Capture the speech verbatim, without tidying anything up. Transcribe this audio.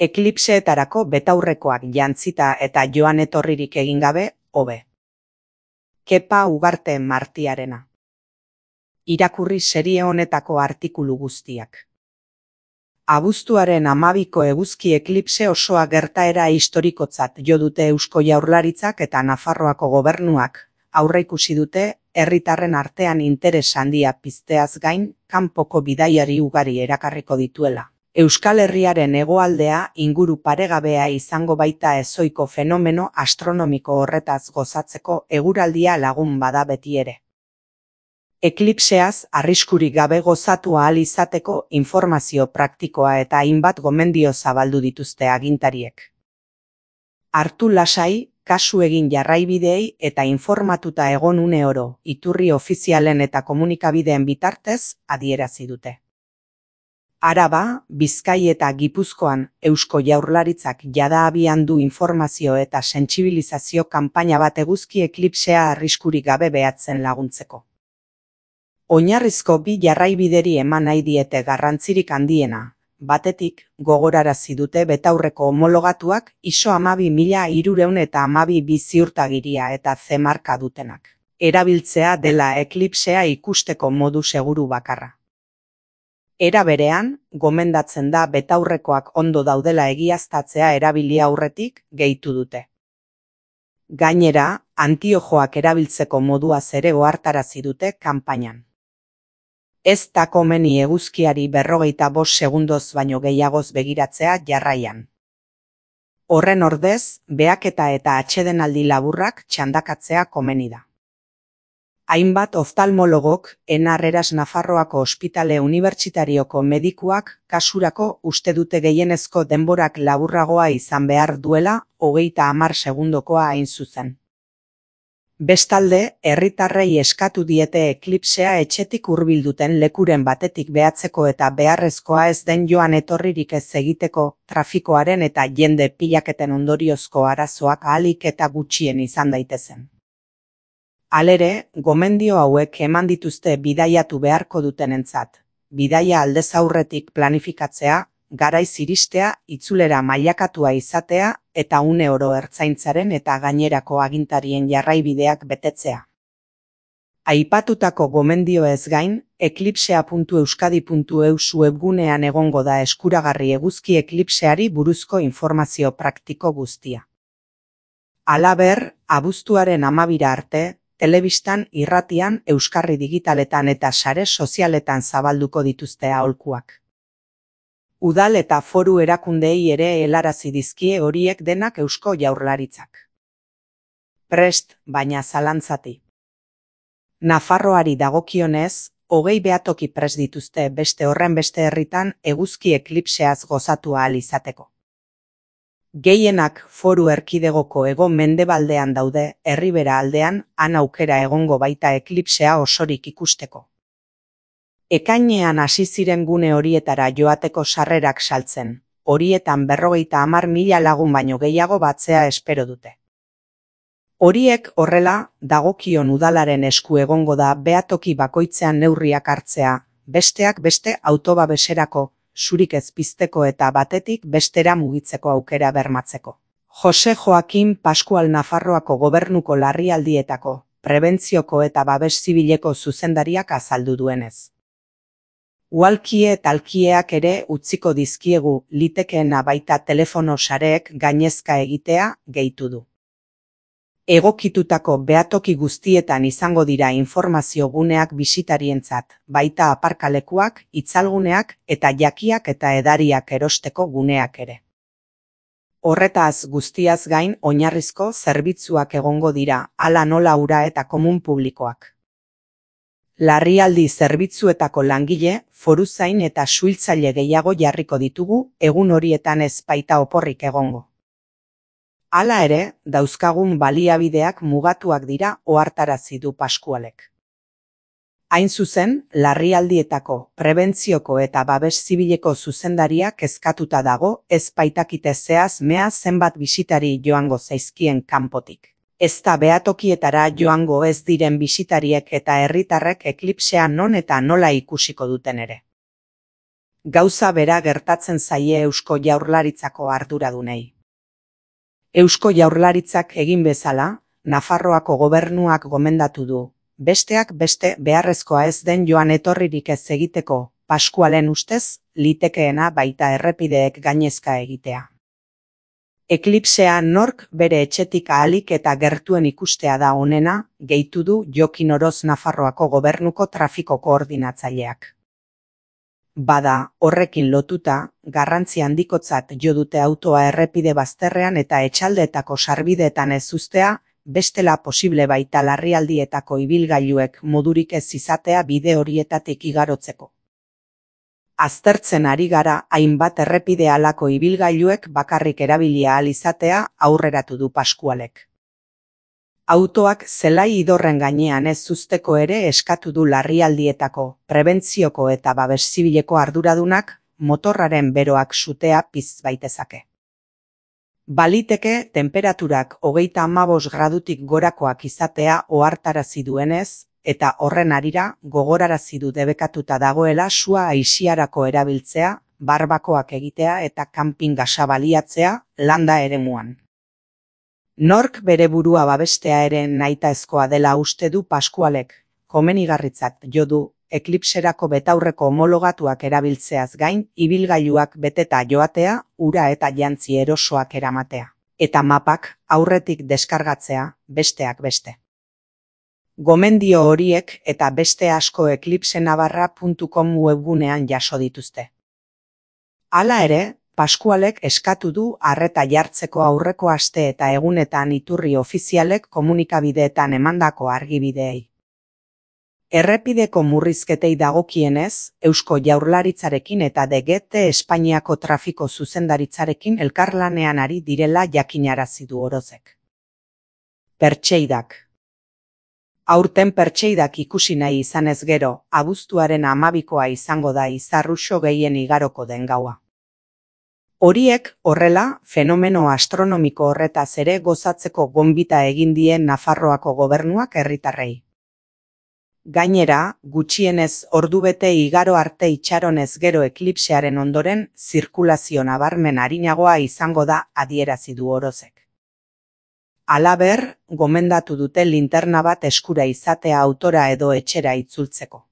Eklipseetarako betaurrekoak jantzita eta joan etorririk egin gabe, hobe. Kepa Ugarte Martiarena. Irakurri serie honetako artikulu guztiak. Abuztuaren hamabiko eguzki eklipse osoa gertaera historikotzat jo dute Eusko Jaurlaritzak eta Nafarroako gobernuak, aurreikusi dute herritarren artean interes handia pizteaz gain, kanpoko bidaiari ugari erakarriko dituela. Euskal Herriaren hegoaldea inguru paregabea izango baita ezohiko fenomeno astronomiko horretaz gozatzeko eguraldia lagun bada beti ere. Eklipseaz arriskurik gabe gozatu ahal izateko informazio praktikoa eta hainbat gomendio zabaldu dituzte agintariek. Hartu lasai, kasu egin jarraibideei eta informatuta egon une oro, iturri ofizialen eta komunikabideen bitartez adierazi dute. Araba, Bizkai eta Gipuzkoan Eusko Jaurlaritzak jada abian du informazio eta sentsibilizazio kanpaina bat eguzki eklipsea arriskurik gabe behatzen laguntzeko. Oinarrizko bi jarraibideri eman nahi diete garrantzirik handiena, batetik gogorarazi dute betaurreko homologatuak ISO hamabi mila hirurehun eta hamabi bi ziurtagiria eta C marka dutenak. Erabiltzea dela eklipsea ikusteko modu seguru bakarra. Era berean, gomendatzen da betaurrekoak ondo daudela egiaztatzea erabili aurretik gehitu dute. Gainera, antiojoak erabiltzeko moduaz ere ohartarazi dute kanpainan. Ez da komeni eguzkiari berrogeita bost segundoz baino gehiagoz begiratzea jarraian. Horren ordez, behaketa eta atsedenaldi laburrak txandakatzea komeni da. Hainbat oftalmologok, Enar Eras Nafarroako Ospitale Unibertsitarioko medikuak kasurako uste dute gehienezko denborak laburragoa izan behar duela, hogeita hamar segundokoa hain zuzen. Bestalde, herritarrei eskatu diete eklipsea etxetik hurbilduten lekuren batetik behatzeko eta beharrezkoa ez den joan etorririk ez egiteko, trafikoaren eta jende pilaketen ondoriozko arazoak ahalik eta gutxien izan daitezen. Halere, gomendio hauek eman dituzte bidaiatu beharko dutenentzat, bidaia aldez aurretik planifikatzea, garaiz iristea, itzulera mailakatua izatea eta une oro ertzaintzaren eta gainerako agintarien jarraibideak betetzea. Aipatutako gomendioez gain, eklipsea puntu euskadi puntu eus webgunean egongo da eskuragarri eguzki eklipseari buruzko informazio praktiko guztia. Halaber, abuztuaren hamabira arte, telebistan, irratian, euskarri digitaletan eta sare sozialetan zabalduko dituzte aholkuak. Udal eta foru erakundeei ere helarazi dizkie horiek denak Eusko Jaurlaritzak. Prest, baina zalantzati. Nafarroari dagokionez, hogei behatoki prest dituzte beste horren beste herritan eguzki eklipseaz gozatu ahal izateko. Gehienak foru erkidegoko hego mendebaldean daude, Erribera aldean, han aukera egongo baita eklipsea osorik ikusteko. Ekainean hasi ziren gune horietara joateko sarrerak saltzen, horietan berrogeita hamar mila lagun baino gehiago batzea espero dute. Horiek horrela, dagokion udalaren esku egongo da behatoki bakoitzean neurriak hartzea, besteak beste autobabeserako, zurik ez pizteko eta batetik bestera mugitzeko aukera bermatzeko. Jose Joakim Pascual Nafarroako gobernuko larrialdietako, prebentzioko eta babes zibileko zuzendariak azaldu duenez. Uhalkie eta alkieak ere utziko dizkiegu litekeena baita telefono sareek gainezka egitea gehitu du. Egokitutako behatoki guztietan izango dira informazio guneak bisitarientzat, baita aparkalekuak, itzalguneak eta jakiak eta edariak erosteko guneak ere. Horretaz guztiaz gain oinarrizko zerbitzuak egongo dira, hala nola ura eta komun publikoak. Larrialdi zerbitzuetako langile, foruzain eta suhiltzaile gehiago jarriko ditugu, egun horietan ez baita oporrik egongo. Hala ere, dauzkagun baliabideak mugatuak dira ohartarazi du Pascualek. Hain zuzen, larrialdietako, prebentzioko eta babes zibileko zuzendaria kezkatuta dago, ez baitakite zehaz mea zenbat bisitari joango zaizkien kanpotik. Ez da behatokietara joango ez diren bisitariek eta herritarrek eklipsea non eta nola ikusiko duten ere. Gauza bera gertatzen zaie Eusko Jaurlaritzako arduradunei. Eusko Jaurlaritzak egin bezala, Nafarroako gobernuak gomendatu du, besteak beste beharrezkoa ez den joan etorririk ez egiteko, Paskualen ustez, litekeena baita errepideek gainezka egitea. Eklipsea nork bere etxetik ahalik eta gertuen ikustea da onena, gehitu du Jokin Oroz Nafarroako gobernuko trafiko koordinatzaileak. Bada, horrekin lotuta, garrantzi handikotzat jo dute autoa errepide bazterrean eta etxaldeetako sarbideetan ez uztea, bestela posible baita larrialdietako ibilgailuek modurik ez izatea bide horietatik igarotzeko. Aztertzen ari gara hainbat errepide halako ibilgailuek bakarrik erabilia ahal izatea aurreratu du Paskualek. Autoak zelai idorren gainean ez uzteko ere eskatu du larrialdietako, prebentzioko eta babes zibileko arduradunak motorraren beroak sutea piztu baitezake. Baliteke tenperaturak hogeita hamabost gradutik gorakoak izatea ohartarazi duenez, eta horren harira gogorarazi du debekatuta dagoela sua aisiarako erabiltzea, barbakoak egitea eta kanpin gasa baliatzea landa eremuan. Nork bere burua babestea ere nahitaezkoa dela uste du Paskualek, komenigarritzat jo du, eklipserako betaurreko homologatuak erabiltzeaz gain, ibilgailuak beteta joatea, ura eta jantzi erosoak eramatea, eta mapak aurretik deskargatzea, besteak beste. Gomendio horiek eta beste asko eklipsenavarra puntu com webgunean jaso dituzte. Hala ere, Paskualek eskatu du arreta jartzeko aurreko aste eta egunetan iturri ofizialek komunikabideetan emandako argibideei. Errepideko murrizketei dagokienez, Eusko Jaurlaritzarekin eta D G T Espainiako trafiko zuzendaritzarekin elkarlanean ari direla jakinarazi du Orozek. Pertseidak. Aurten pertseidak ikusi nahi izanez gero, abuztuaren hamabikoa izango da izarruxo gehien igaroko den gaua. Horiek, horrela, fenomeno astronomiko horretaz ere gozatzeko gonbita egin dien Nafarroako gobernuak herritarrei. Gainera, gutxienez ordubete igaro arte itxaronez gero eklipsearen ondoren, zirkulazio nabarmen arinagoa izango da adierazi du Orozek. Halaber, gomendatu dute linterna bat eskura izatea autora edo etxera itzultzeko.